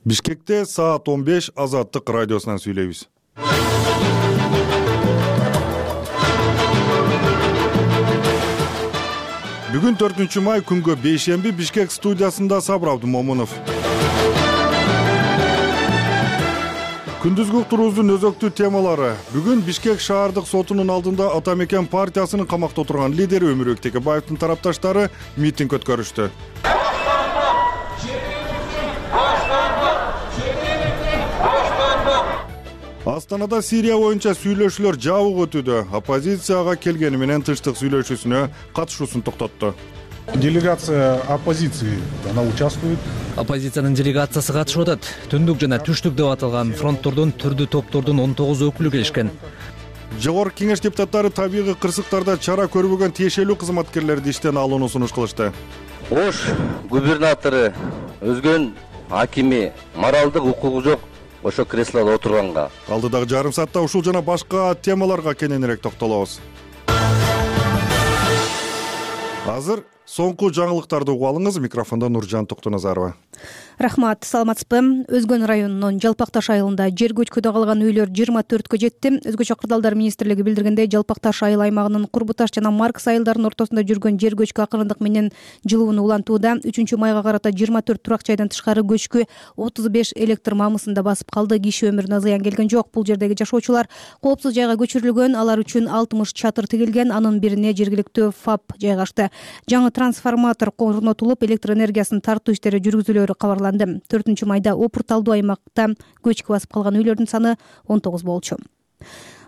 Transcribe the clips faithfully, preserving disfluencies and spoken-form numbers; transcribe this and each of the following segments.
Бишкекте саат он беш Азаттык радиосунан сүйлөйбүз. Бүгүн төртүнчү май күнгө бейшемби Бишкек студиясында Сабыр Абдумомунов. Күндүзгү уктуруубуздун өзөктүү темалары. Бүгүн Бишкек шаардык сотунун алдында Ата Мекен партиясынын камакта отурган лидери Өмүрбек Текебаевдин тарапташтары митинг өткөрүштү. Астанада Сирия боюнча сүйлөшүүлөр жабык өтүүдө. Оппозицияга келгени менен тынчтык сүйлөшүүсүнө катышуусун токтотту. Делегация оппозиции, она участвует. Оппозициянын делегациясы катышып атат. Түндүк жана түштүк деп аталган фронттордун түрдүү топтордун он тогуз өкүлү келишкен. Жогорку кеңеш депутаттары табигый кырсыктарда чара көрбөгөн тиешелүү кызматкерлерди иштен алууну сунуш кылышты. Ош губернатору өзгөн акими моралдык укугу жок ошо креслодо отурганга. Алдыдагы жарым саатта ушул жана башка темаларга кененирээк токтолобуз. Азыр соңку жаңылыктарды угуп алыңыз. Микрофондо Нуржан Токтоназарова. Рахмат, саламатсызбы? Өзгөн районунун Жалпакташ айылында жер көчкүдө калган үйлөр жыйырма төрткө жетти. Өзгөчө кырдаалдар министрлиги билдиргендей, Жалпакташ айыл аймагынын Курбуташ жана Маркс айылдарынын ортосунда жүргөн жер көчкү акырындык менен жылууну улантууда. үчүнчү майга карата жыйырма төрт турак жайдан тышкары көчкү отуз беш электр мамысында басып калды. Киши өмүрүнө зыян келген жок. Бул жердеги жашоочулар коопсуз жайга көчүрүлгөн. Алар үчүн алтымыш чатыр тигилген. Анын бирине жергиликтүү ФАП жайгашты. Жаңы трансформатор орнотулуп, электр энергиясын тартуу иштери жүргүзүлөөрү кабарланды. төртүнчү майда опурталдуу аймакта көчкү басып калган үйлөрдүн саны он тогуз болчу.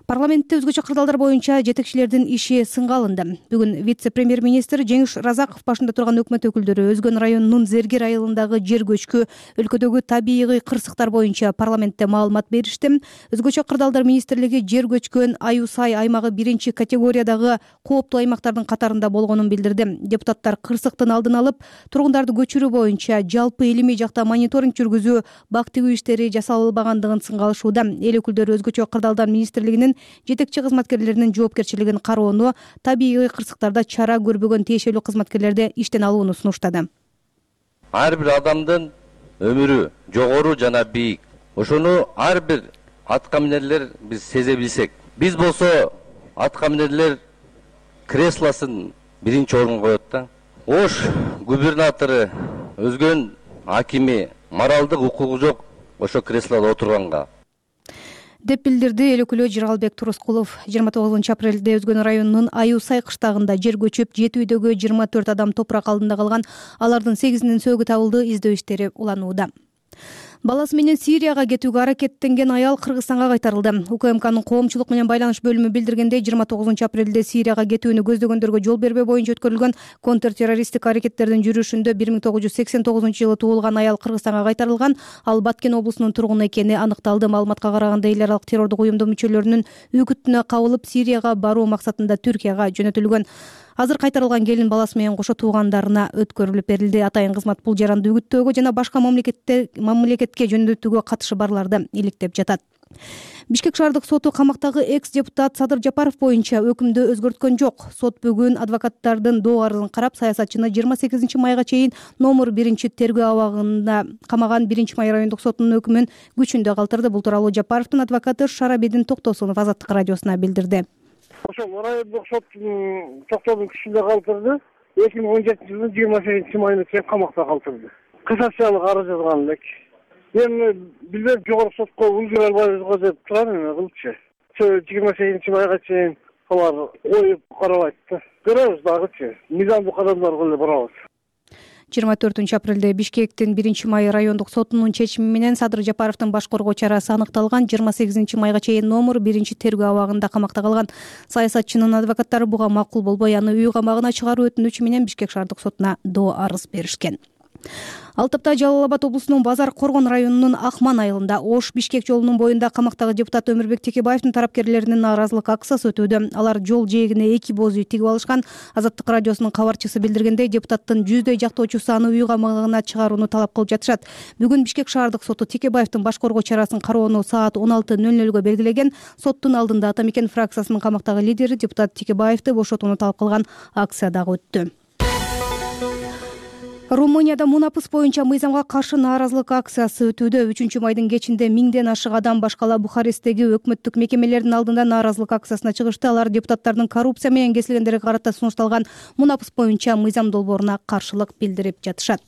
Парламентте өзгөчө кырдаалдар боюнча жетекчилердин иши сынга алынды. Бүгүн вице-премьер-министр Жеңиш Разаков башында турган өкмөт өкүлдөрү Өзгөн районунун Зергер айылындагы жер көчкү, өлкөдөгү табигый кырсыктар боюнча парламентте маалымат беришти. Өзгөчө кырдаалдар министрлиги жер көчкөн Аюсай аймагы биринчи категориядагы кооптуу аймактардын катарында болгонун билдирди. Депутаттар кырсыктын алдын алып, тургундарды көчүрүү боюнча жалпы илимий жакта мониторинг жүргүзүү, бак тигүү иштери жасалбагандыгын сынга алышууда. Эл өкүлдөрү өзгөчө кырдаалдар министрлигинин жетекчи кызматкерлеринин жоопкерчилигин кароону, табигый кырсыктарда чара көрбөгөн тиешелүү кызматкерлерди иштен алууну сунуштады. Ар бир адамдын өмүрү жогору жана бийик. Ошону ар бир атка минерлер биз сезе билсек, биз болсо атка минерлер креслосын биринчи орунга коет да. Ош губернатору өзгөн акими моралдык укугу жок ошо креслодо отурганга деп билдирди эл өкүлү Жыргалбек Турускулов. жыйырма тогузунчу апрелде Өзгөн районунун Аюсай кыштагында жер көчүп, жети үйдөгү жыйырма төрт адам топурак алдында калган. Алардын сегизинин сөөгү табылды. Издөө иштери уланууда. Баласы менен Сирияга кетүүгө аракеттенген аял Кыргызстанга кайтарылды. УКМКнын коомчулук менен байланыш бөлүмү билдиргендей, жыйырма тогузунчу апрелде Сирияга кетүүнү көздөгөндөргө жол бербөө боюнча өткөрүлгөн контртеррористтик аракеттердин жүрүшүндө бир миң тогуз жүз сексен тогузунчу жылы туулган аял Кыргызстанга кайтарылган. Ал Баткен облусунун тургуну экени аныкталды. Маалыматка караганда, эл аралык террордук уюмдун мүчөлөрүнүн үгүтүнө кабылып, Сирияга баруу максатында Түркияга жөнөтүлгөн. Азыр кайтарылган келин баласы менен кошо туугандарына өткөрүлүп берилди. Атайын кызмат бул жаранды үгүттөөгө жана башка мамлекетте мамлекетке жөнөтүүгө катышы барларды иликтеп жатат. Бишкек шаардык соту камактагы экс-депутат Садыр Жапаров боюнча өкүмдү өзгөрткөн жок. Сот бүгүн адвокаттардын доо арызын карап, саясатчыны жыйырма сегизинчи майга чейин номер биринчи тергөө абагында камаган биринчи май райондук сотунун өкүмүн күчүндө калтырды. Бул тууралуу Жапаровдун адвокаты Шарабедин Токтосунов Азаттык радиосуна билдирди. Ошол райондук соттун токтоодун күчүндө калтырды. эки миң он жетинчи жылдын жыйырма сегизинчи майына чейин камакта калтырды. Кассациялык арыз жазган элек. Мен билбейм, жогорку сотко үлгүрө албайбызго деп турам эми кылчы. жыйырма сегизинчи майга чейин алар коюп карабайт да. Көрөбүз дагычы. Мыйзамдык адамдарга эле барабыз. жыйырма төртүнчү апрелде Бишкектин биринчи май райондук сотунун чечими менен Садыр Жапаровдун баш коргоо чарасы аныкталган. жыйырма сегизинчи майга чейин номер биринчи тергөө абагында камакта калган. Саясатчынын адвокаттары буга макул болбой, аны үй камагына чыгаруу өтүнүчү менен Бишкек шаардык сотуна доо арыз беришкен. Ал тапта Жалал Абад облусунун Базар Коргон районунун Акман айылында Ош Бишкек жолунун боюнда камактагы депутат Өмүрбек Текебаевдин тарапкерлеринин нааразылык акциясы өтүүдө. Алар жол жээгине эки боз үй тигип алышкан. Азаттык радиосунун кабарчысы билдиргендей, депутаттын жүздөй жактоочусу аны үй камагына чыгарууну талап кылып жатышат. Бүгүн Бишкек шаардык соту Текебаевдин баш коргоо чарасын кароону саат он алты нөл нөлгө белгилеген. Соттун алдында Ата Мекен фракциясынын камактагы лидери депутат Текебаевди бошотууну талап кылган акция дагы өттү. Румынияда мунапыс боюнча мыйзамга каршы нааразылык акциясы өтүүдө. Үчүнчү майдын кечинде миңден ашык адам башкала Бухаресттеги өкмөттүк мекемелердин алдында нааразылык акциясына чыгышты. Алар депутаттардын коррупция менен кесилгендерге карата сунушталган мунапыс боюнча мыйзам долбооруна каршылык билдирип жатышат.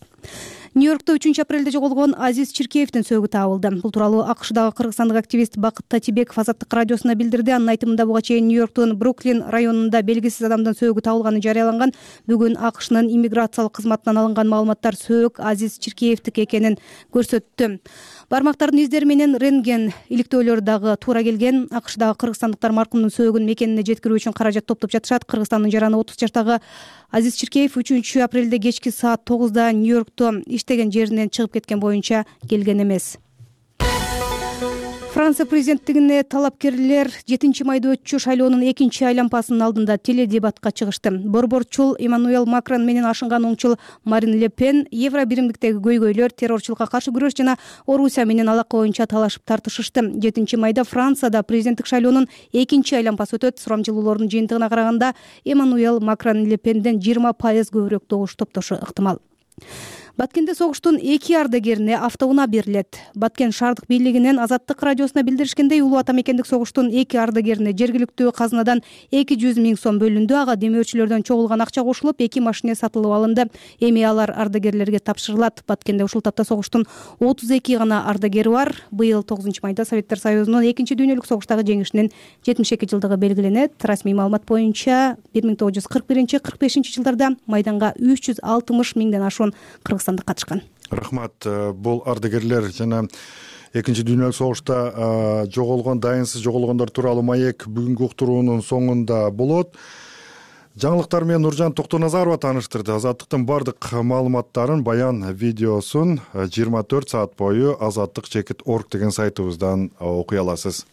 Нью-Йоркто үчүнчү апрелде жоголгон Азиз Чиркеевдин сөөгү табылды. Бул тууралуу АКШдагы кыргызстандык активист Бакыт Татибеков Азаттык радиосуна билдирди. Анын айтымында буга чейин Нью-Йорктун Бруклин районунда белгисиз адамдын сөөгү табылганы жарыяланган. Бүгүн АКШнын иммиграциялык кызматынан алынган маалыматтар сөök Азиз Чиркеевдики экенин көрсөттү. Бармактардын издери менен рентген иликтөөлөр дагы туура келген. АКШдагы кыргызстандыктар маркумдун сөөгүн мекенине жеткирүү үчүн каражат топтоп жатышат. Кыргызстандын жараны отуз жаштагы Азиз Чиркеев үчүнчү апрелде кечки саат тогузда Нью-Йоркто иштеген жеринен чыгып кеткен боюнча келген эмес. Франция президенттигине талапкерлер жетинчи майда өтчү шайлоонун экинчи айлампасынын алдында теледебатка чыгышты. Борборчул Эммануэл Макрон менен ашынган оңчул Марин Ле Пен евро биримдиктеги көйгөйлөр, террорчулукка каршы күрөш жана Орусия менен алака боюнча талашып тартышышты. жетинчи майда Францияда президенттик шайлоонун экинчи айлампасы өтөт. Сурамжылуулардын жыйынтыгына караганда Эммануэл Макрон Ле Пенден жыйырма пайыз көбүрөөк добуш топтошу ыктымал. Баткенде согуштун эки ардагерине автоунаа берилет. Баткен шаардык бийлигинен Азаттык радиосуна билдиришкендей, улуу ата мекендик согуштун эки ардагерине жергиликтүү казынадан эки жүз миң сом бөлүндү. Ага демөөрчүлөрдөн чогулган акча кошулуп, эки машине сатылып алынды. Эми алар ардагерлерге тапшырылат. Баткенде ушул тапта согуштун отуз эки гана ардагери бар. Быйыл тогузунчу майда Советтер Союзунун экинчи дүйнөлүк согуштагы жеңишинин жетимиш эки жылдыгы белгиленет. Расмий маалымат боюнча бир миң тогуз жүз кырк биринчи кырк бешинчи жылдарда майданга үч жүз алтымыш миңден ашуун кыргызстандык катышкан. Рахмат. Бул ардагерлер жана экинчи дүйнөлүк согушта жоголгон, дайынсыз жоголгондор тууралуу маек бүгүнкү уктуруунун соңунда болот. Жаңылыктар менен Нуржан Токтоназарова тааныштырды. Азаттыктын бардык маалыматтарын, баян видеосун жыйырма төрт саат бою азаттык чекит орг деген сайтыбыздан окуй аласыз.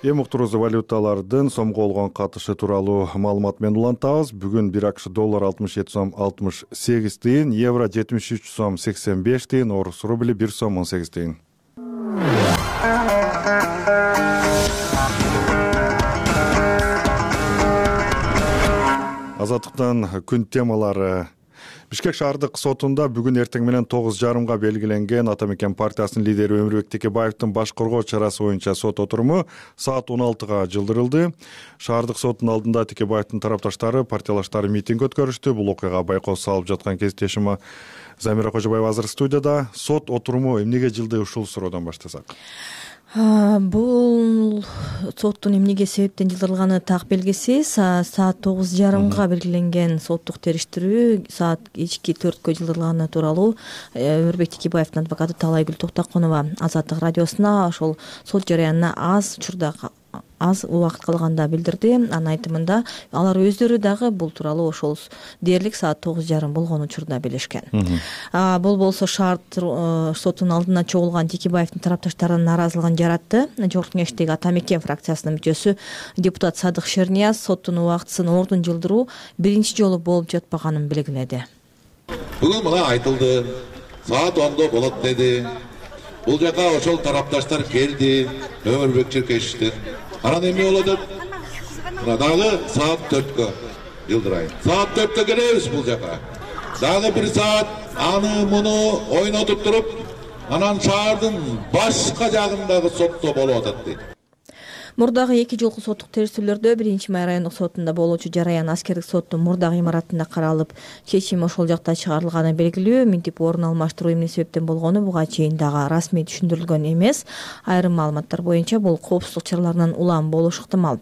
Эми уктуруубузду валюталардын сомго болгон катышы тууралуу маалымат менен улантабыз. Бүгүн бир АКШ доллар алтымыш жети сом алтымыш сегиз тыйын, евро жетимиш үч сом сексен беш тыйын, орус рубли бир сом он сегиз тыйын. Азаттыктан күн темалары. Бишкек шаардык сотунда бүгүн эртең менен тогуз жарымга белгиленген Ата мекен партиясынын лидери Өмүрбек Текебаевдин баш коргоо чарасы боюнча сот отуруму саат он алтыга жылдырылды. Шаардык соттун алдында Текебаевдин тарапташтары, партиялаштары митинг өткөрүштү. Бул окуяга байкоо салып жаткан кесиптешим Замира Кожобаева азыр студияда. Сот отуруму эмнеге жылды, ушул суроодон баштасак? Бул соттун эмнеге себептен жылдырылганы так белгисиз. Саат тогуз жарымга белгиленген соттук териштирүү саат кечки төрткө жылдырылганы тууралуу Өмүрбек Текебаевдин адвокаты Талайгүл Токтокунова Азаттык радиосуна ошол сот жарыянына аз учурда аз убакыт калганда билдирди. Анын айтымында алар өздөрү дагы бул тууралуу ошол дээрлик саат тогуз жарым болгон учурда билишкен. Бул болсо шаар сотунун алдына чогулган Текебаевдин тарапташтарынын нааразылыгын жаратты. Жогорку кеңештеги Ата мекен фракциясынын мүчөсү депутат Садык Шернияз соттун убактысын ордун жылдыруу биринчи жолу болуп жатпаганын белгиледи. Бүгүн мына айтылды, саат ондо болот деди. Бул жака ошол тарапташтар келди, Өмүрбек Чиркешевдин. Анан эме болот деп, дагы саат төрткө жылдырайын. Саат төрткө келебиз бул жака. Дагы бир саат аны муну ойнотуп туруп, анан шаардын башка жагындагы сотто болуп атат дейт. Мурдагы эки жолку соттук териштирүүлөрдө биринчи май райондук сотунда болуучу жараян аскердик соттун мурдагы имаратында каралып, чечим ошол жакта чыгарылганы белгилүү. Минтип орун алмаштыруу эмне себептен болгону буга чейин дагы расмий түшүндүрүлгөн эмес. Айрым маалыматтар боюнча бул коопсуздук чараларынан улам болушу ыктымал.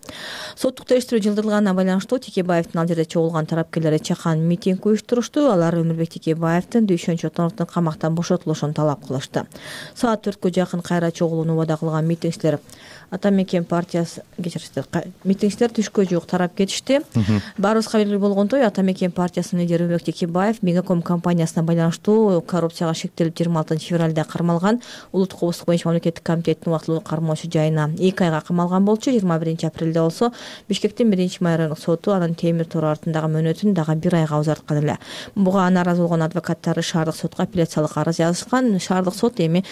Соттук териштирүү жылдырылганына байланыштуу Текебаевдин ал жерде чогулган тарапкерлери чакан митинг уюштурушту. Алар Өмүрбек Текебаевдин Дүйшөн Чотоновдун камактан бошотулушун талап кылышты. Саат төрткө жакын кайра чогулууну убада кылган митингчилер Ата мекен партиясы кечиришти. Митингчилер түшкө жук тарап кетишти. Баарыбызга белгилүү болгондой, Ата мекен партиясынын лидери Өмүрбек Текебаев Мегаком компаниясына байланыштуу коррупцияга шектелип жыйырма алтынчы февралда кармалган Улуттук коопсуздук боюнча мамлекеттик комитеттин убактылуу кармоочу жайына эки айга камалган болчу. жыйырма биринчи апрелде болсо Бишкектин биринчи май райондук соту анын темир тор артындагы мөөнөтүн дагы бир айга узарткан эле. Буга нааразы болгон адвокаттары шаардык сотко апелляциялык арыз жазышкан. Шаардык сот эми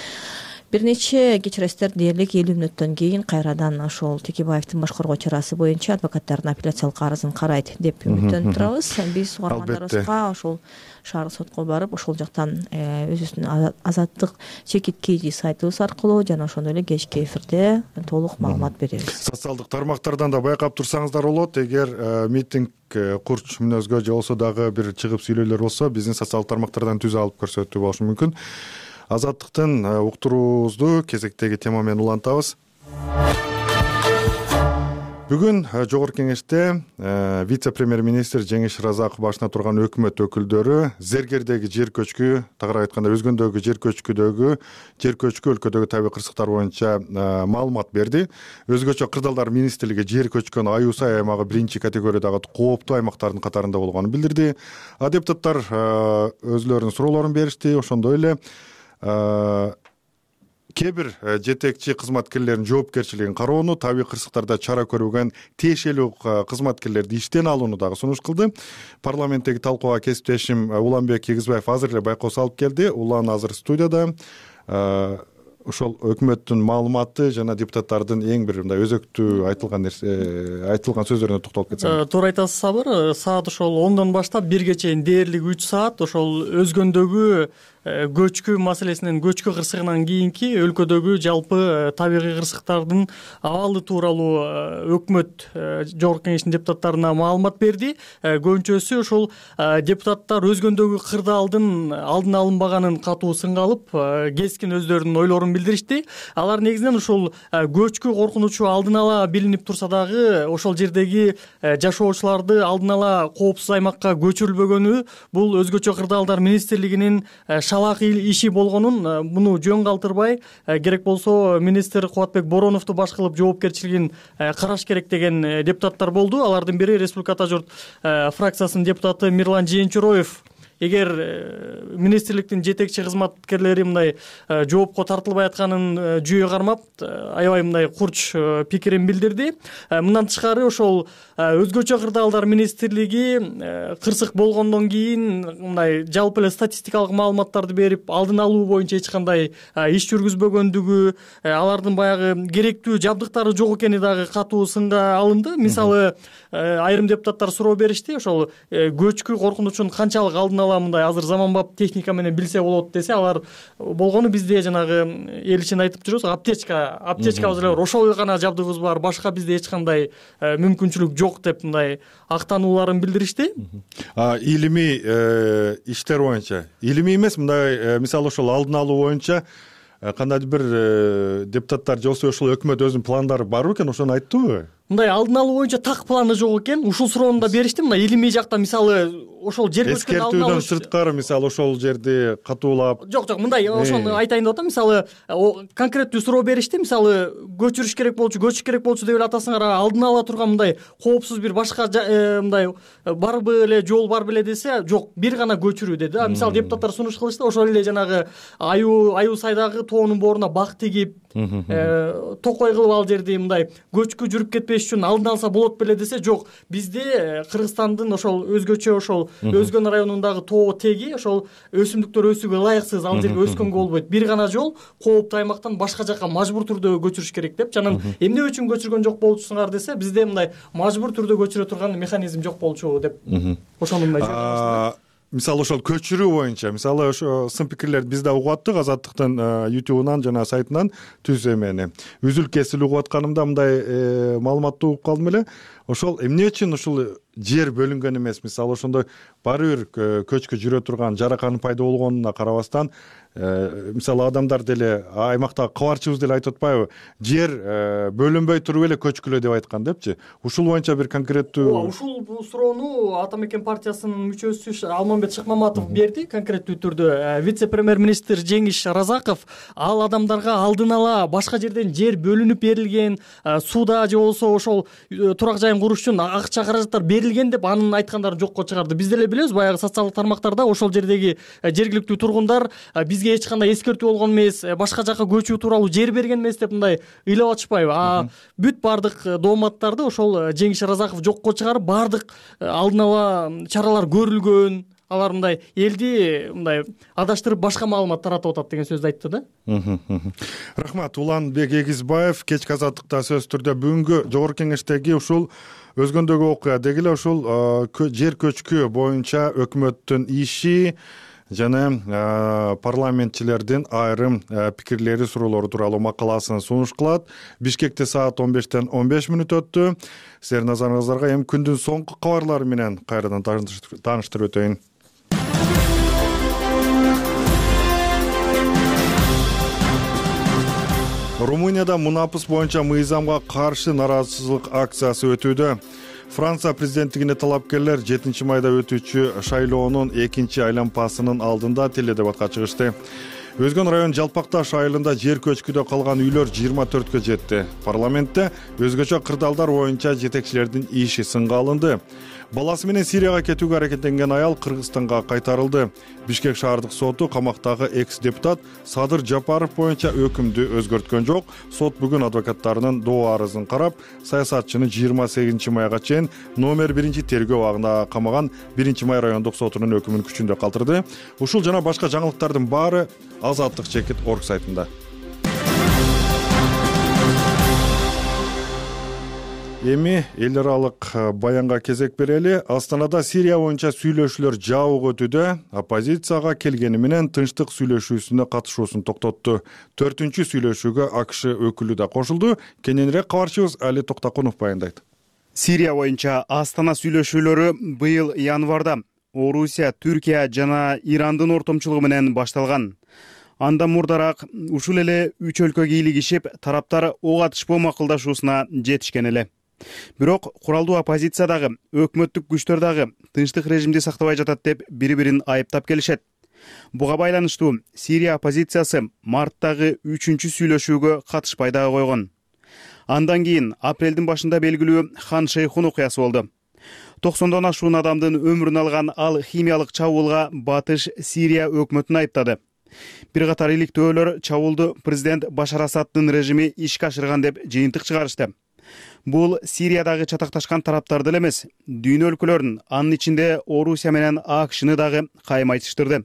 бир нече кечиресиздер дээрлик элүү мүнөттөн кийин кайрадан ошол Текебаевдин башкаргоо чарасы боюнча адвокаттардын апелляциялык арызын карайт деп үмүттөнүп турабыз. Биз угармандарыбызга ошол шаардык сотко барып ошол жактан өзүбүздүн азаттык чекит kg сайтыбыз аркылуу жана ошондой эле кечки эфирде толук маалымат беребиз. Социалдык тармактардан да байкап турсаңыздар болот. Эгер митинг курч мүнөзгө же болсо дагы бир чыгып сүйлөөлөр болсо биздин социалдык тармактардан түзүп алып көрсөтүү болушу мүмкүн. Азаттыктын уктуруубузду кезектеги тема менен улантабыз. Бүгүн жогорку кеңеште вице-премьер-министр Жеңиш Разаков башына турган өкмөт өкүлдөрү зергердеги жер көчкү, тагыраак айтканда өзгөндөгү жер көчкүдөгү жер көчкү өлкөдөгү табий кырсыктар боюнча маалымат берди. Өзгөчө Кырдаалдар министрлиги жер көчкөн Аюу Сай аймагы биринчи категориядагы кооптуу аймактардын катарында болгонун билдирди. А депутаттар өзлөрүнүн суроолорун беришти. Ошондой эле кээ бир жетекчи кызматкерлердин жоопкерчилигин кароону, табий кырсыктарда чара көрбөгөн тиешелүү кызматкерлерди иштен алууну дагы сунуш кылды. Парламенттеги талкууга кесиптешим Уланбек Кийгизбаев азыр эле байкоо салып келди. Улан азыр студияда. Ошол өкмөттүн маалыматы жана депутаттардын эң бир мындай өзөктүү айтылган нерсе айтылган сөздөрүнө токтолуп кетсең. Туура айтасыз Сабыр. Саат ошол ондон баштап бирге чейин дээрлик үч саат ошол өзгөндөгү көчкү маселесинен, көчкү кырсыгынан кийинки өлкөдөгү жалпы табигый кырсыктардын абалы тууралуу өкмөт жогорку кеңештин депутаттарына маалымат берди. Көбүнчөсү ошол депутаттар өзгөндөгү кырдаалдын алдын алынбаганын катуу сынга алып, кескин өздөрүнүн ойлорун билдиришти. Алар негизинен ошол көчкү коркунучу алдын ала билинип турса дагы ошол жердеги жашоочуларды алдын ала коопсуз аймакка көчүрүлбөгөнү бул өзгөчө Кырдаалдар министрлигинин шалак иши болгонун, муну жөн калтырбай, керек болсо министр Кубатбек Бороновду баш кылып жоопкерчилигин караш керек деген депутаттар болду. Алардын бири Республика Ата журт фракциясынын депутаты Мирлан Жээнчуроев. Эгер министрликтин жетекчи кызматкерлери мындай жоопко тартылбай атканын жүйө кармап, аябай мындай курч пикирин билдирди. Мындан тышкары ошол өзгөчө Кырдаалдар министрлиги кырсык болгондон кийин мындай жалпы эле статистикалык маалыматтарды берип, алдын алуу боюнча эч кандай иш жүргүзбөгөндүгү, алардын баягы керектүү жабдыктары жок экени дагы катуу сынга алынды. Мисалы, айрым депутаттар суроо беришти, ошол көчкү коркунучун канчалык алдын мындай азыр заманбап техника менен билсе болот десе, алар болгону бизде жанагы эл ичинде айтып жүрөбүз, аптечка, аптечкабыз эле бар, ошол гана жабдыгыбыз бар, башка бизде эч кандай мүмкүнчүлүк жок деп мындай актанууларын билдиришти. Илимий иштер боюнча, илимий эмес, мындай мисалы ошол алдын алуу боюнча кандайдыр бир депутаттар же болсо ошол өкмөт өзүнүн пландары бар экен, ошону айттыбы? Мындай алдын алуу боюнча так планы жок экен. Ушул суроону да беришти. Мындай илимий жакта мисалы ошол жер көчкүн алдын алуу сырткары мисалы ошол жерди катуулап. Жок, жок, мындай ошону айтайын деп атам. Мисалы конкреттүү суроо беришти. Мисалы көчүрүш керек болчу, көчүш керек болчу деп эле атасыңар, алдын ала турган мындай коопсуз бир башка мындай барбы эле, жол бар беле десе, жок, бир гана көчүрүү деди. Мисалы депутаттар сунуш кылышты, ошол эле жанагы Аюу Аюу Сайдагы тоонун бооруна бак тигип, токой кылып ал жерди мындай көчкү жүрүп кетпеш үчүн алдын алса болот беле десе, жок, бизде Кыргызстандын ошол өзгөчө ошол Өзгөн районундагы тоо теги ошол өсүмдүктөр өсүүгө ылайыксыз, ал жерге өскөнгө болбойт. Бир гана жол кооптуу аймактан башка жакка мажбур түрдө көчүрүш керек деп, жанагы эмне үчүн көчүргөн жок болчусуңар десе, бизде мындай мажбур түрдө көчүрө турган механизм жок болчу деп. Ошону мындай мисалы ошол көчүрүү боюнча, мисалы ошо сын пикирлерди биз да угуп аттык Азаттыктын ютубунан жана сайтынан түз эмени. Үзүл кесил угуп атканымда мындай маалыматты угуп калдым эле. Ошол эмне үчүн ушул жер бөлүнгөн эмес, мисалы ошондой баары бир көчкү жүрө турган жараканын пайда болгонуна карабастан, мисалы адамдар деле аймактагы кабарчыбыз деле айтып атпайбы, жер бөлүнбөй туруп эле көчкүлө деп айткан депчи. Ушул боюнча бир конкреттүү ушул суроону Ата мекен партиясынын мүчөсү Алмамбет Шыкмаматов берди конкреттүү түрдө. Вице-премьер-министр Жеңиш Разаков ал адамдарга алдын ала башка жерден жер бөлүнүп берилген, сууда же болсо ошол турак жайын куруш үчүн акча каражаттар берилген деп анын айткандарын жокко чыгарды. Биз деле билебиз, баягы социалдык тармактарда ошол жердеги жергиликтүү тургундар бизге эч кандай эскертүү болгон эмес, башка жакка көчүү тууралуу жер берген эмес деп мындай ыйлап атышпайбы? А бүт бардык дооматтарды ошол Жеңиш Разаков жокко чыгарып, бардык алдын ала чаралар көрүлгөн, алар мындай элди мындай адаштырып башка маалымат таратып атат деген сөздү айтты да. Рахмат. Уланбек Эгизбаев кечки азаттыкта сөзсүз түрдө бүгүнкү жогорку кеңештеги ушул өзгөндөгү окуя деги эле ушул жер көчкү боюнча өкмөттүн иши жана парламентчилердин айрым пикирлери, суроолору тууралуу макаласын сунуш кылат. Бишкекте саат он бештен он беш мүнөт өттү. Сиздердин назарыңыздарга эми күндүн соңку кабарлары менен кайрадан тааныштырып өтөйүн. Румынияда мунапыс боюнча мыйзамга каршы нараазычылык акциясы өтүүдө. Франция президенттигине талапкерлер жетинчи майда өтүүчү шайлоонун экинчи айланпасынын алдында теледебатка чыгышты. Өзгөн район Жалпакташ айылында жер көчкүдө калган үйлөр жыйырма төрткө жетти. Парламентте өзгөчө кырдаалдар боюнча жетекчилердин иши сынга алынды. Баласы менен Сирияга кетүүгө аракеттенген аял Кыргызстанга кайтарылды. Бишкек шаардык соту камактагы экс-депутат Садыр Жапаров боюнча өкүмдү өзгөрткөн жок. Сот бүгүн адвокаттарынын доо арызын карап, саясатчыны жыйырма сегизинчи майга чейин номер биринчи тергөө абагында камаган биринчи май райондук сотунун өкүмүн күчүндө калтырды. Ушул жана башка жаңылыктардын баары Азаттык чекит орг сайтында. Эми эл аралык баянга кезек берели. Астанада Сирия боюнча сүйлөшүүлөр жабык өтүүдө. Оппозицияга келгени менен тынчтык сүйлөшүүсүнө катышуусун токтотту. Төртүнчү сүйлөшүүгө АКШ өкүлү да кошулду. Кененирээк кабарчыбыз Али Токтакунов баяндайт. Сирия боюнча Астана сүйлөшүүлөрү быйыл январда Орусия, Түркия жана Ирандын ортомчулугу менен башталган. Андан мурдараак ушул эле үч өлкө кийлигишип, тараптар ок атышпоо макулдашуусуна жетишкен эле. Бирок куралдуу оппозиция дагы, өкмөттүк күчтөр дагы тынчтык режимди сактабай жатат деп бири-бирин айыптап келишет. Буга байланыштуу Сирия оппозициясы марттагы үчүнчү сүйлөшүүгө катышпай дагы койгон. Андан кийин апрелдин башында белгилүү Хан Шейхун окуясы болду. токсондон ашуун адамдын өмүрүн алган ал химиялык чабуулга батыш Сирия өкмөтүн айыптады. Бир катар иликтөөлөр чабуулду президент Башар Асаддын режими ишке ашырган деп жыйынтык чыгарышты. Бул Сириядагы чатакташкан тараптарды эле эмес, дүйнө өлкөлөрүн, анын ичинде Орусия менен АКШны дагы кайым айтыштырды.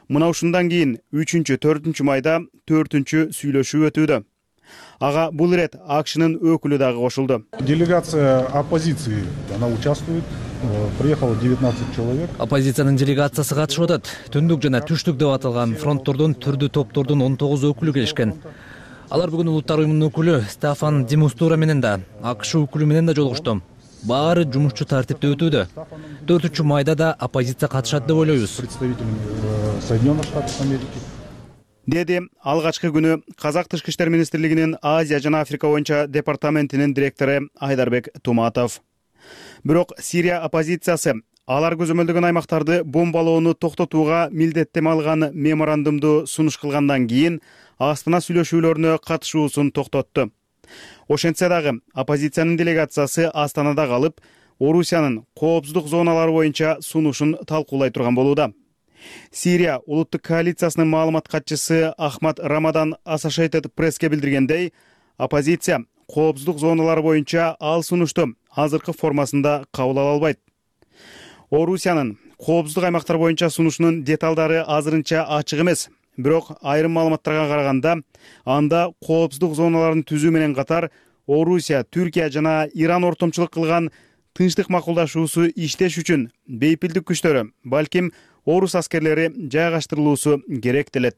Мына ушундан кийин үчүнчү, төртүнчү майда төртүнчү сүйлөшүү өтүүдө. Ага бул ирет АКШнын өкүлү дагы кошулду. Делегация оппозиции, она участвует. Приехало девятнадцать человек. Оппозициянын делегациясы катышып атат. Түндүк жана түштүк деп аталган фронттордун түрдүү топтордун он тогуз өкүлү келишкен. Алар бүгүн Улуттар уюмунун өкүлү Стафан де Мистура менен да, АКШ өкүлү менен да жолугушту. Баары жумушчу тартипте өтүүдө. төртүнчү майда да оппозиция катышат деп ойлойбуз. Представителями Соединенных Штатов Америки. Деди алгачкы күнү Казак Тышкы иштер министрлигинин Азия жана Африка боюнча департаментинин директору Айдарбек Туматов. Бирок Сирия оппозициясы алар көзөмөлдөгөн аймактарды бомбалоону токтотууга милдеттеме алган меморандумду сунуш кылгандан кийин Астана сүйлөшүүлөрүнө катышуусун токтотту. Ошентсе дагы оппозициянын делегациясы Астанада калып, Орусиянын коопсуздук зоналары боюнча сунушун талкуулай турган болууда. Сирия улуттук коалициясынын маалымат катчысы Ахмад Рамадан Associated Press'ке билдиргендей, оппозиция коопсуздук зоналары боюнча ал сунушту азыркы формасында кабыл ала албайт. Орусиянын коопсуздук аймактар боюнча сунушунун деталдары азырынча ачык эмес. Бирок айрым маалыматтарга караганда, анда коопсуздук зоналарын түзүү менен катар Орусия, Түркия жана Иран ортомчулук кылган тынчтык макулдашуусу иштеш үчүн бейпилдик күчтөрү, балким орус аскерлери жайгаштырылуусу керек делет.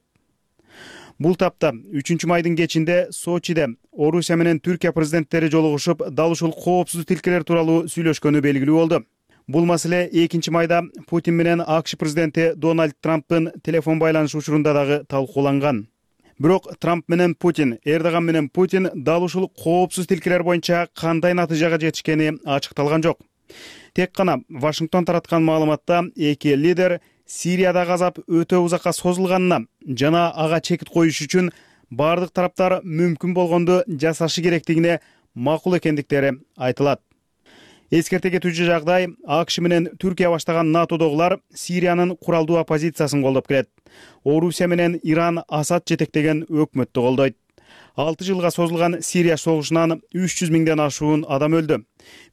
Бул тапта үчүнчү майдын кечинде Сочиде Орусия менен Түркия президенттери жолугушуп, дал ушул коопсуз тилкелер тууралуу сүйлөшкөнү белгилүү болду. Бул маселе экинчи майда Путин менен АКШ президенти Дональд Трамптын телефон байланышы учурунда дагы талкууланган. Бирок Трамп менен Путин, Эрдоган менен Путин дал ушул коопсуз тилкелер боюнча кандай натыйжага жетишкени ачыкталган жок. Тек гана Вашингтон тараткан маалыматта эки лидер Сириядагы азап өтө узакка созулганына жана ага чекит коюш үчүн бардык тараптар мүмкүн болгонду жасашы керектигине макул экендиктери айтылат. Эскерте кетүүчү жагдай АКШ менен Түркия баштаган НАТОдогулар Сириянын куралдуу оппозициясын колдоп келет. Орусия менен Иран Асад жетектеген өкмөттү колдойт. алты жылга созулган Сирия согушунан үч жүз миңден ашуун адам өлдү.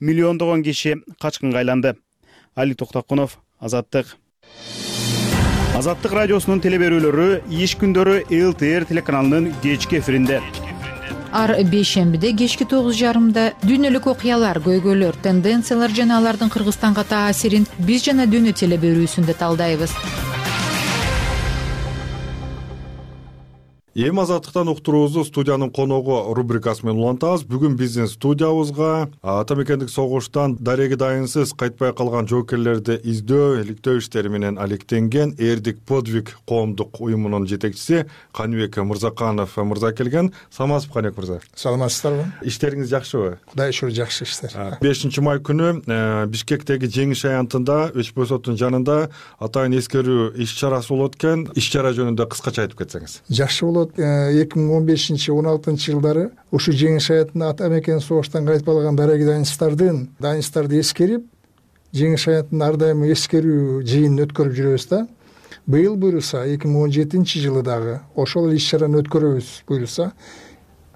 Миллиондогон киши качкынга айланды. Али Токтакунов, Азаттык. Азаттык радиосунун теле берүүлөрү иш күндөрү эл ти эр телеканалынын кечки эфиринде. Ар бейшембиде кечки тогуз жарымда дүйнөлүк окуялар, көйгөйлөр, тенденциялар жана алардын Кыргызстанга таасирин биз жана дүйнө теле берүүсүндө талдайбыз. Эми азаттыктан уктуруубузду студиянын коногу рубрикасы менен улантабыз. Бүгүн биздин студиябызга ата мекендик согуштан дареги дайынсыз кайтпай калган жоокерлерди издөө, иликтөө иштери менен алектенген Эрдик подвиг коомдук уюмунун жетекчиси Каныбек Мырзаканов мырза келген. Саламатсызбы, Каныбек мырза? Саламатсыздарбы? Иштериңиз жакшыбы? Кудай шүгүр, жакшы иштер. бешинчи май күнү Бишкектеги жеңиш аянтында Өчпөй соттун жанында атайын эскерүү иш чарасы болот экен. Иш чара жөнүндө кыскача айтып кетсеңиз. Жакшы болот. эки миң он бешинчи он алтынчы жылдары ушу жеңиш аянтында ата мекен согуштан кайтып калган дареги дайынсыздардын дайынсыздарды эскерип, жеңиш аянтында ар дайым эскерүү жыйынын өткөрүп жүрөбүз да. Быйыл буюрса эки миң он жетинчи жылы дагы ошол иш чараны өткөрөбүз буюрса.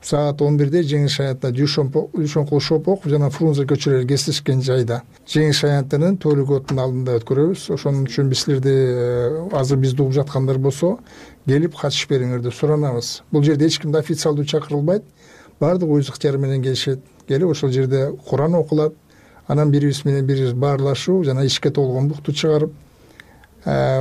Саат он бирде жеңиш аянтында Дүйшөнкул Шопоков жана Фрунзе көчөлөрү кесилишкен жайда жеңиш аянтынын төлөгөтүнүн алдында өткөрөбүз. Ошон үчүн биз силерди азыр бизди угуп жаткандар болсо, келип катышып бериңер деп суранабыз. Бул жерде эч ким официалдуу чакырылбайт. Баардык өз ыктыяры менен келишет. Келип ошол жерде Куран окулат. Анан бирибиз менен бирибиз баарлашуу жана ишке толгондукту чыгарып,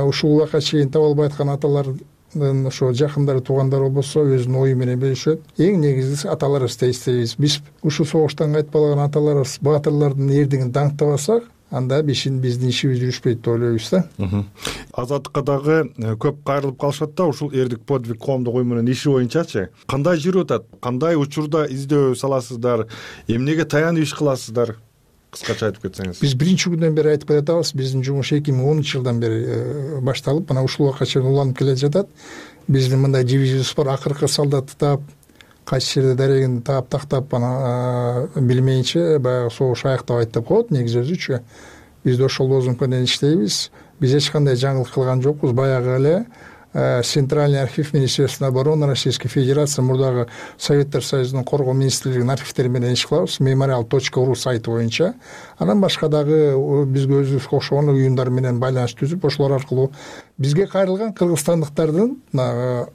ушул убакка чейин таба албай аткан аталардын ошо жакындары, туугандары болсо өзүнүн ою менен бөлүшөт. Эң негизгиси аталарыбызды эстейбиз. Биз ушул согуштан кайтып калган аталарыбыз, баатырлардын эрдигин даңктабасак, анда биздин биздин ишибиз жүрүшпөйт деп ойлойбуз да. Азаттыкка дагы көп кайрылып калышат да, ушул Эрдик подвиг коомдук уюмунун иши боюнчачы. Кандай жүрүп атат? Кандай учурда издөө саласыздар? Эмнеге таянып иш кыласыздар? Кыскача айтып кетсеңиз. Биз биринчи күндөн бери айтып келатабыз. Биздин жумуш эки миң онунчу жылдан бери башталып, мына ушул убакка чейин уланып келе жатат. Биздин мындай дивизиябыз бар, акыркы солдатты таап, кайсы жерде дарегин таап тактап, ана билмейинче баягы согуш аяктабайт деп коет негизи өзүчү. Биз да ошол лозунг менен иштейбиз. Биз эч кандай жаңылык кылган жокпуз. Баягы эле Центральный архив Министерства обороны Российской Федерации, мурдагы Советтер Союзунун коргоо министрлигинин архивтери менен иш кылабыз. мемориал точка ру сайты боюнча. Анан башка дагы бизге өзүбүзгө окшогон уюмдар менен байланыш түзүп, ошолор аркылуу бизге кайрылган кыргызстандыктардын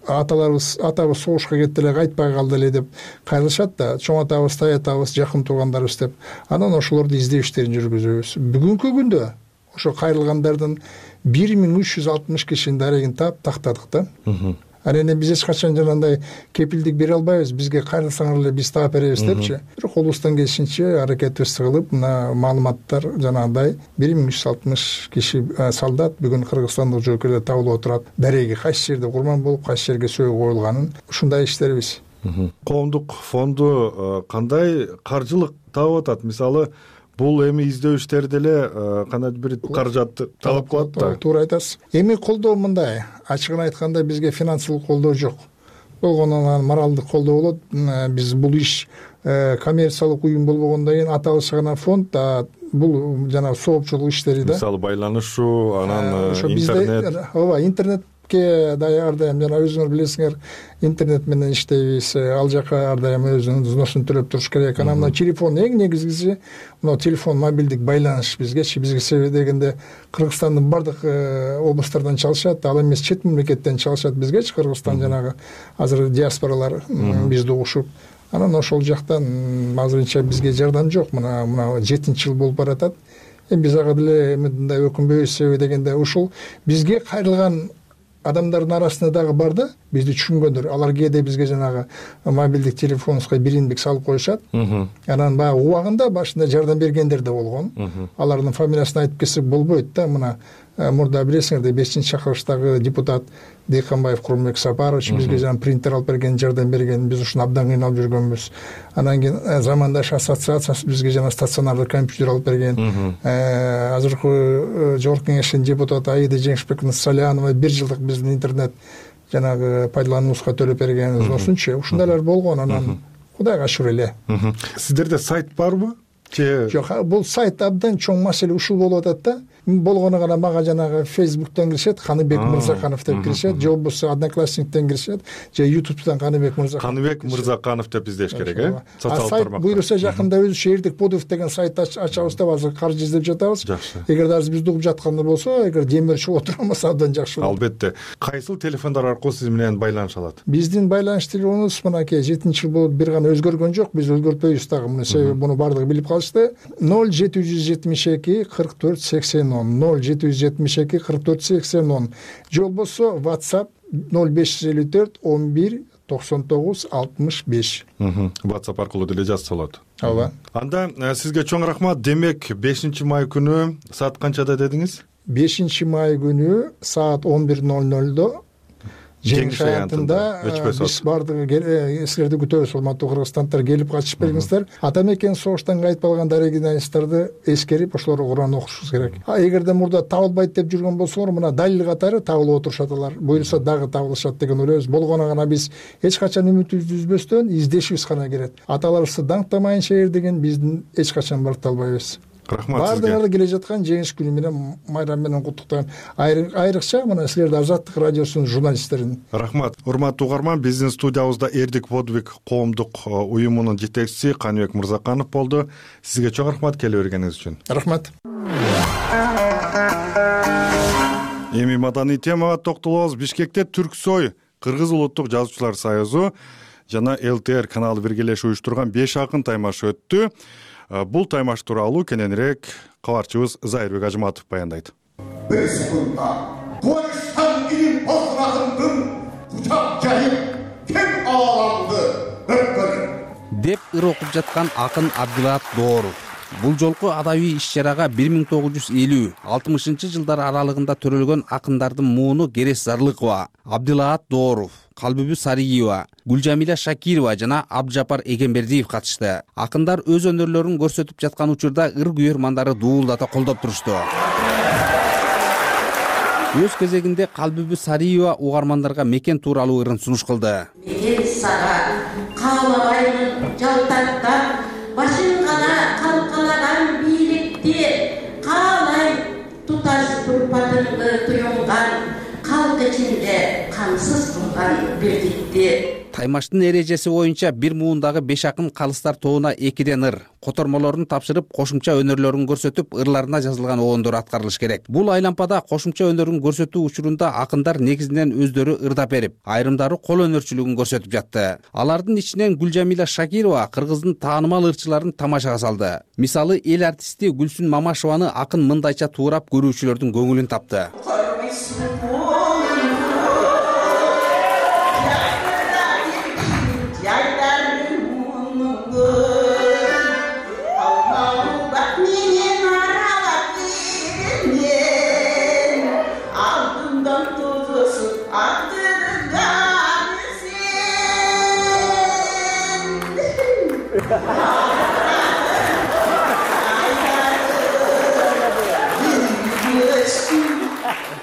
аталарыбыз, атабыз согушка кетти эле, кайтпай калды эле деп кайрылышат да, чоң атабыз, тай атабыз, жакын туугандарыбыз деп. Анан ошолорду издөө иштерин жүргүзөбүз. Бүгүнкү күндө ошо кайрылгандардын бир миң үч жүз алтымыш кишинин дарегин таап тактадык да. Анан биз эч качан жанагындай кепилдик бере албайбыз. Бизге кайрылсаңар эле биз таап беребиз депчи. Бирок колубуздан келишинче аракетибизди кылып, мына маалыматтар жанагындай бир миң үч жүз алтымыш киши солдат бүгүн кыргызстандык жоокерлер табылып отурат. Дареги кайсы жерде курман болуп, кайсы жерге сөөгү коюлганын ушундай иштерибиз. Коомдук фонду кандай каржылык таап атат? Мисалы, бул эми издөө иштерди деле кандайдыр бир каражатты талап кылат да. Туура айтасыз. Эми колдоо мындай, ачыгын айтканда бизге финансылык колдоо жок. Болгондон моралдык колдоо болот. Биз бул иш коммерциялык уюм болбогондон кийин аталышы гана фонд, бул жана соопчулук иштери да. Мисалы байланышуу, анан интернет. Ооба, интернет ар дайым жана өзүңөр билесиңер, интернет менен иштейбиз. Ал жака ар дайым өзүнүн взносун төлөп туруш керек. Анан мына телефон эң негизгиси, мына телефон, мобилдик байланыш бизгечи. Бизге себеби дегенде Кыргызстандын бардык областтардан чалышат, ал эмес чет мамлекеттен чалышат бизгечи. Кыргызстан жанагы азыр диаспоралар бизди угушуп. Анан ошол жактан азырынча бизге жардам жок. Мына мына жетинчи жыл болуп баратат. Эми биз ага деле мындай өкүнбөйбүз, себеби дегенде ушул бизге кайрылган адамдардын арасында дагы бар да, бизди түшүнгөндөр. Алар кээде бизге жанагы мобилдик телефонубузга бириндик салып коюшат. Анан баягы убагында башында жардам бергендер да болгон. Алардын фамилиясын айтып кетсек болбойт да. Мына мурда билесиңерде бешинчи чакырыштагы депутат Дыйканбаев Курманбек Сапарович бизге жана принтер алып берген, жардам берген. Биз ушуну абдан кыйналып жүргөнбүз. Анан кийин Замандаш ассоциациясы бизге жана стационардык компьютер алып берген. Азыркы жогорку кеңештин депутаты Аида Жеңишбековна Салянова бир жылдык биздин интернет жанагы пайдалануубузга төлөп берген. Ошончо ушундайлар болгон. Анан Кудайга шүгүр эле. Сиздерде сайт барбы? Жок, бул сайт абдан чоң маселе ушул болуп атат да. болгону гана мага жанагы Facebook'тан киришет, Каныбек Мырзаканов деп киришет, же болбосо Одноклассниктен киришет, же YouTube'дан Каныбек Мырзаканов. Каныбек Мырзаканов деп издеш керек, э? Социалдык тармакта. Буйруса жакында өзү шеэрдик подов деген сайт ачабыз деп азыр каржы издеп жатабыз. Жакшы. Эгер азыр бизди угуп жатканда болсо, эгер демир чыгып отура алмаса абдан жакшы болот. Албетте. Кайсыл телефондар аркылуу сиз менен байланыша алат? Биздин байланыш телефонубуз мынакей жетинчи жыл болуп бир гана өзгөргөн жок, биз өзгөртпөйбүз дагы. Муну себеби буну бардыгы билип калышты. ноль жети жүз жетимиш эки кырк төрт сексен он ноль жети жүз жетимиш эки кырк төрт сексен он же болбосо WhatsApp ноль беш жүз элүү төрт он бир токсон тогуз алтымыш беш. WhatsApp аркылуу деле жазса болот. Ооба. Анда сизге чоң рахмат. Демек бешинчи май күнү саат канчада дедиңиз? бешинчи май күнү саат он бир ноль нольдо Жеңиш аянтында биз бардыгы силерди күтөбүз, урматтуу кыргызстанддар, келип катышып бериңиздер. Ата мекен согуштан кайтып калган дарегиналисттарды эскерип ошолорго Куран окушубуз керек. А эгерде мурда табылбайт деп жүргөн болсоңор, мына далил катары табылып отурушат алар. Буюрса дагы табылышат деген ойлойбуз. Болгону гана биз эч качан үмүтүбүздү үзбөстөн издешибиз гана керек. Аталарыбызды даңктамайынча эрдеген биздин эч качан барыта албайбыз. Рахмат сизге. Бардыгыңарды келе жаткан жеңиш күнү менен, майрам менен куттуктайм. Айрыкча мына силерди Азаттык радиосунун журналисттерин. Рахмат. Урматтуу угарман, биздин студиябызда Эрдик подвиг коомдук уюмунун жетекчиси Каныбек Мырзаканов болду. Сизге чоң рахмат келе бергениңиз үчүн. Рахмат. Эми маданий темага токтолобуз. Бишкекте Түрксой Кыргыз улуттук жазуучулар союзу жана эл тэ эр каналы биргелешип уюштурган беш акын таймаш өттү. Бул таймаш тууралуу кененирээк кабарчыбыз Зайырбек Ажыматов баяндайт. Бир секундда коюштан кийин босун акындын кучак жайып кең ааламды өткөрөт деп ыр окуп жаткан акын Абдилаат Дооров. Бул жолку адабий иш-чарага бир миң тогуз жүз элүү алтымышынчы жылдар аралыгында төрөлгөн акындардын мууну Керес Зарлыкова, Абдилаат Дооров, Калбүбү Сариева, Гүлжамиля Шакирова жана Абджапар Эгембердиев катышты. Акындар өз өнөрлөрүн көрсөтүп жаткан учурда ыр күйөрмандары дуулдата колдоп турушту. Өз кезегинде Калбүбү Сариева угармандарга мекен тууралуу ырын сунуш кылды. Мен сага каалабаймын жалтактап, башын гана калкалаган бийликти, каалайм туташ турпатыңды туюнган, калк ичинде камсыз турган биrdikти. Таймаштын эрежеси боюнча бир муундагы беш акын калыстар тобуна экиден ыр, котормолорун тапшырып, кошумча өнөрлөрүн көрсөтүп, ырларына жазылган обондор аткарылыш керек. Бул айлампада кошумча өнөрүн көрсөтүү учурунда акындар негизинен өздөрү ырдап берип, айрымдары кол өнөрчүлүгүн көрсөтүп жатты. Алардын ичинен Гүлжамиля Шакирова кыргыздын таанымал ырчыларын тамашага салды. Мисалы, эл артисти Гүлсүн Мамашеваны акын мындайча туурап көрүүчүлөрдүн көңүлүн тапты.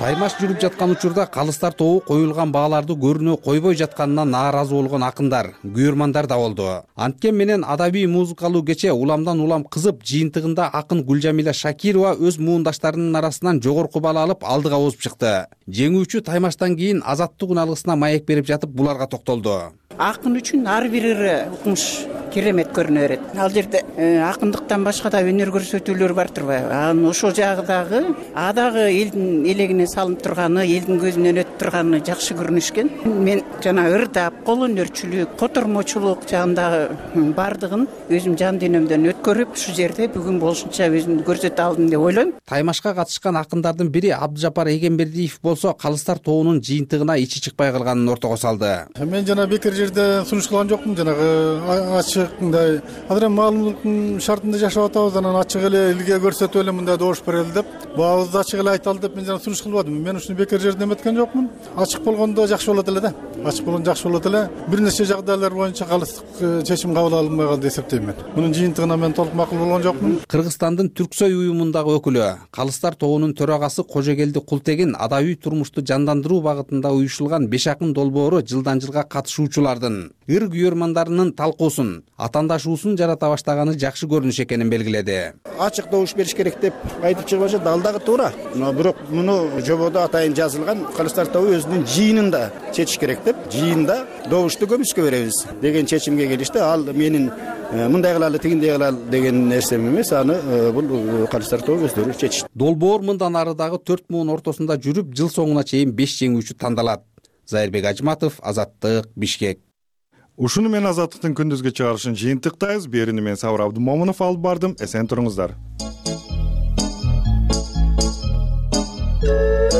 Таймаш жүрүп жаткан учурда калыстар тобу коюлган бааларды көрүнө койбой жатканына нааразы болгон акындар, күйөрмандар да болду. Анткен менен адабий музыкалуу кече уламдан улам кызып, жыйынтыгында акын Гүлжамиля Шакирова өз муундаштарынын арасынан жогорку баала алып алдыга озуп чыкты. Жеңүүчү таймаштан кийин азаттык уналгысына маек берип жатып буларга токтолду. Акын үчүн ар бир ыры укмуш керемет көрүнө берет. Ал жерде акындыктан башка да өнөр көрсөтүүлөр бар турбайбы? Анын ошол жагы дагы а дагы элдин элегине салынып турганы, элдин көзүнөн өтүп турганы жакшы көрүнүшкөн. Мен жана ырдап, кол өнөрчүлүк, котормочулук жагындагы бардыгын өзүм жан дүйнөмдөн өткөрүп, ушул жерде бүгүн болушунча өзүмдү көрсөтө алдым деп ойлойм. Таймашка катышкан акындардын бири Абджапар Эгембердиев болсо, калыстар тобунун жыйынтыгына ичи чыкпай калганын ортого салды. Мен жана бекер жерде сунуш кылган жокмун, жанагы ачык мындай азыр эми маалымдыктын шартында жашап атабыз, анан ачык эле элге көрсөтүп эле мындай добуш берели деп, баабызды ачык эле айталы деп мен жана сунуш иш кылбадым. Мен ушуну бекер жерден эметкен жокмун. Ачык болгондо жакшы болот эле да. Ачык болгондо жакшы болот эле. Бир нече жагдайлар боюнча калыстык чечим кабыл алынбай калды деп эсептейм мен. Мунун жыйынтыгына мен толук макул болгон жокмун. Кыргызстандын Түрксой уюмундагы өкүлү, Калыстар тобунун төрагасы Кожогелди Култегин адабий турмушту жандандыруу багытында уюшулган беш акын долбоору жылдан жылга катышуучулардын ыр күйөрмандарынын талкуусун, атаандашуусун жарата баштаганы жакшы көрүнүш экенин белгиледи. Ачык добуш бериш керек деп айтып чыгып атышат, ал дагы туура. Бирок муну жободо атайын жазылган Калыстар тобу өзүнүн жыйынында чечиш керек деп, жыйында добушту көмүскө беребиз деген чечимге келишти. Ал менин мындай кылалы, тигиндей кылалы деген нерсем эмес, аны бул Калыстар тобу өздөрү чечишти. Долбоор мындан ары дагы төрт муун ортосунда жүрүп, жыл соңуна чейин беш жеңүүчү тандалат. Зайырбек Ажматов, Азаттык, Бишкек. Ушуну менен Азаттыктын күндүзгү чыгарышын жыйынтыктайбыз. Берини мен Сабыр Абдымомунов алып бардым. Эсен туруңуздар.